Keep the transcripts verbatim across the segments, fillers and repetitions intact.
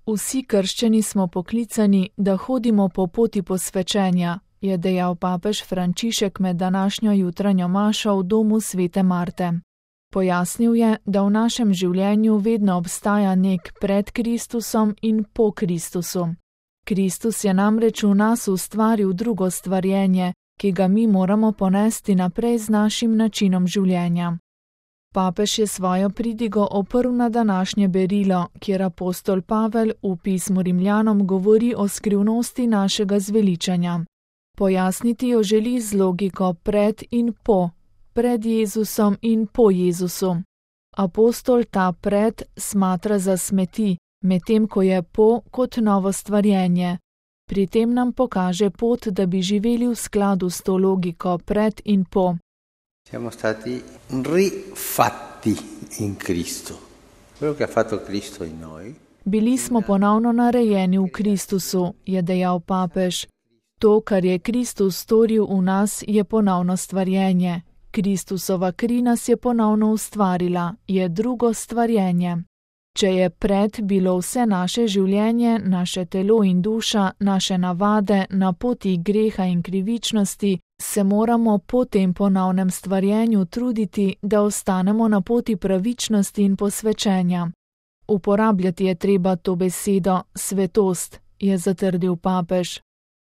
Vsi krščeni smo poklicani, da hodimo po poti posvečenja, je dejal papež Frančišek med današnjo jutranjo mašo v domu svete Marte. Pojasnil je, da v našem življenju vedno obstaja nek pred Kristusom in po Kristusu. Kristus je namreč v nas ustvaril drugo stvarjenje, ki ga mi moramo ponesti naprej z našim načinom življenja. Papež je svojo pridigo oprl na današnje berilo, kjer apostol Pavel v pismu Rimljanom govori o skrivnosti našega zveličanja. Pojasniti jo želi z logiko pred in po, pred Jezusom in po Jezusu. Apostol ta pred smatra za smeti, medtem ko je po kot novo stvarjenje. Pri tem nam pokaže pot, da bi živeli v skladu s to logiko pred in po. Siamo stati rifatti in Cristo. Quello che ha fatto Cristo in noi. Bili smo ponovno narejeni v Kristusu, je dejal papež. To, kar je Kristus storil v nas, je ponovno stvarjenje. Kristusova kri nas je ponovno ustvarila, je drugo stvarjenje. Če je pred bilo vse naše življenje, naše telo in duša, naše navade na poti greha in krivičnosti, se moramo po tem ponovnem stvarjenju truditi, da ostanemo na poti pravičnosti in posvečenja. Uporabljati je treba to besedo svetost, je zatrdil papež.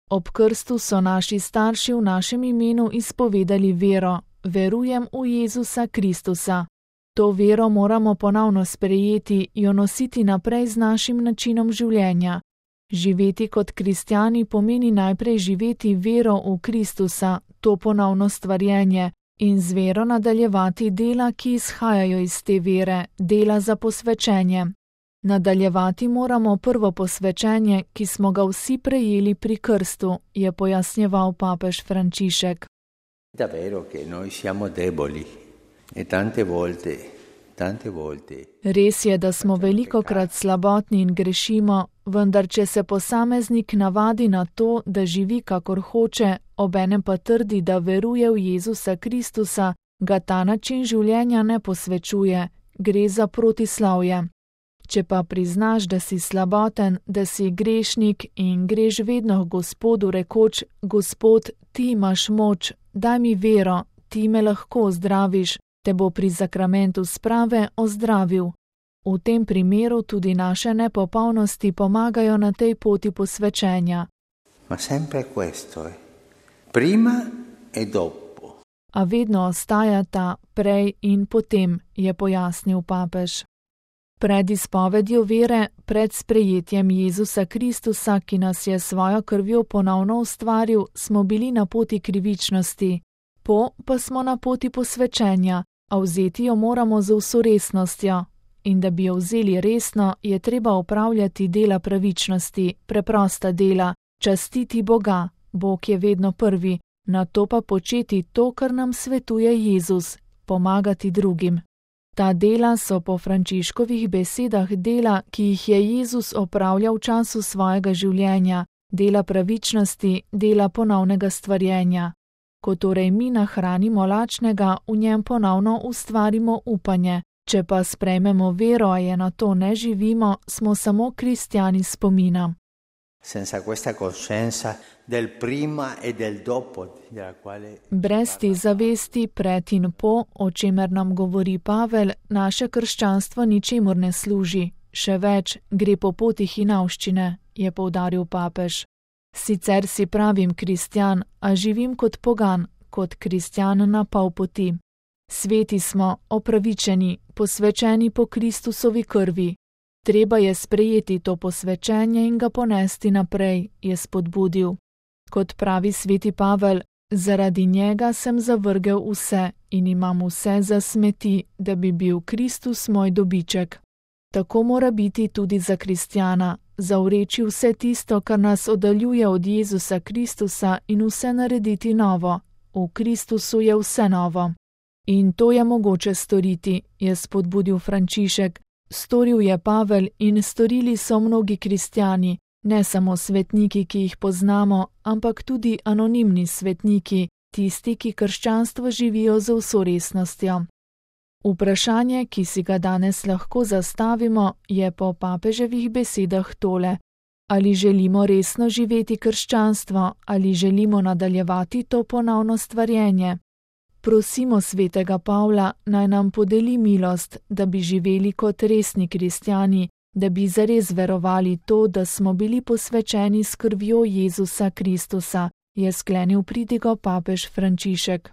Ob krstu so naši starši v našem imenu izpovedali vero, verujem v Jezusa Kristusa. To vero moramo ponovno sprejeti, jo nositi naprej z našim načinom življenja. Živeti kot kristjani pomeni najprej živeti vero v Kristusa, to ponovno stvarjenje, in z vero nadaljevati dela, ki izhajajo iz te vere, dela za posvečenje. Nadaljevati moramo prvo posvečenje, ki smo ga vsi prejeli pri krstu, je pojasnjeval papež Frančišek. Davvero che noi siamo deboli e tante volte, tante volte. Res je, da smo velikokrat slabotni in grešimo, vendar če se posameznik navadi na to, da živi kakor hoče, obenem pa trdi, da veruje v Jezusa Kristusa, ga ta način življenja ne posvečuje, gre za protislavje. Če pa priznaš, da si slaboten, da si grešnik in greš vedno k Gospodu rekoč, Gospod, ti imaš moč, daj mi vero, ti me lahko ozdraviš, te bo pri zakramentu sprave ozdravil. V tem primeru tudi naše nepopolnosti pomagajo na tej poti posvečenja. Ma sempre questo, eh? Prima e dopo. A vedno ostajata prej in potem, je pojasnil papež. Pred izpovedjo vere, pred sprejetjem Jezusa Kristusa, ki nas je svojo krvjo ponovno ustvaril, smo bili na poti krivičnosti. Po pa smo na poti posvečenja, a vzeti jo moramo z vso resnostjo. In da bi jo vzeli resno, je treba opravljati dela pravičnosti, preprosta dela, častiti Boga, Bog je vedno prvi, nato pa početi to, kar nam svetuje Jezus, pomagati drugim. Ta dela so po Frančiškovih besedah dela, ki jih je Jezus opravljal v času svojega življenja, dela pravičnosti, dela ponovnega stvarjenja. Ko torej mi nahranimo lačnega, v njem ponovno ustvarimo upanje. Če pa sprejmemo vero, a je na to ne živimo, smo samo kristjani spomina. Senza questa coscienza del prima e del dopo, della quale... Brez te zavesti pred in po, o čemer nam govori Pavel, naše krščanstvo ničemur ne služi. Še več, gre po poti hinavščine, je poudaril papež. Sicer si pravim kristjan, a živim kot pogan, kot kristjan na pol poti. Sveti smo, opravičeni, posvečeni po Kristusovi krvi. Treba je sprejeti to posvečenje in ga ponesti naprej, je spodbudil. Kot pravi sveti Pavel, zaradi njega sem zavrgel vse in imam vse za smeti, da bi bil Kristus moj dobiček. Tako mora biti tudi za kristjana, zavreči vse tisto, kar nas oddaljuje od Jezusa Kristusa in vse narediti novo. V Kristusu je vse novo. In to je mogoče storiti, je spodbudil Frančišek. Storil je Pavel in storili so mnogi kristjani, ne samo svetniki, ki jih poznamo, ampak tudi anonimni svetniki, tisti, ki krščanstvo živijo z vso resnostjo. Vprašanje, ki si ga danes lahko zastavimo, je po papeževih besedah tole: ali želimo resno živeti krščanstvo, ali želimo nadaljevati to ponovno stvarjenje? Prosimo svetega Pavla, naj nam podeli milost, da bi živeli kot resni kristjani, da bi zares verovali to, da smo bili posvečeni s krvjo Jezusa Kristusa, je sklenil pridigo papež Frančišek.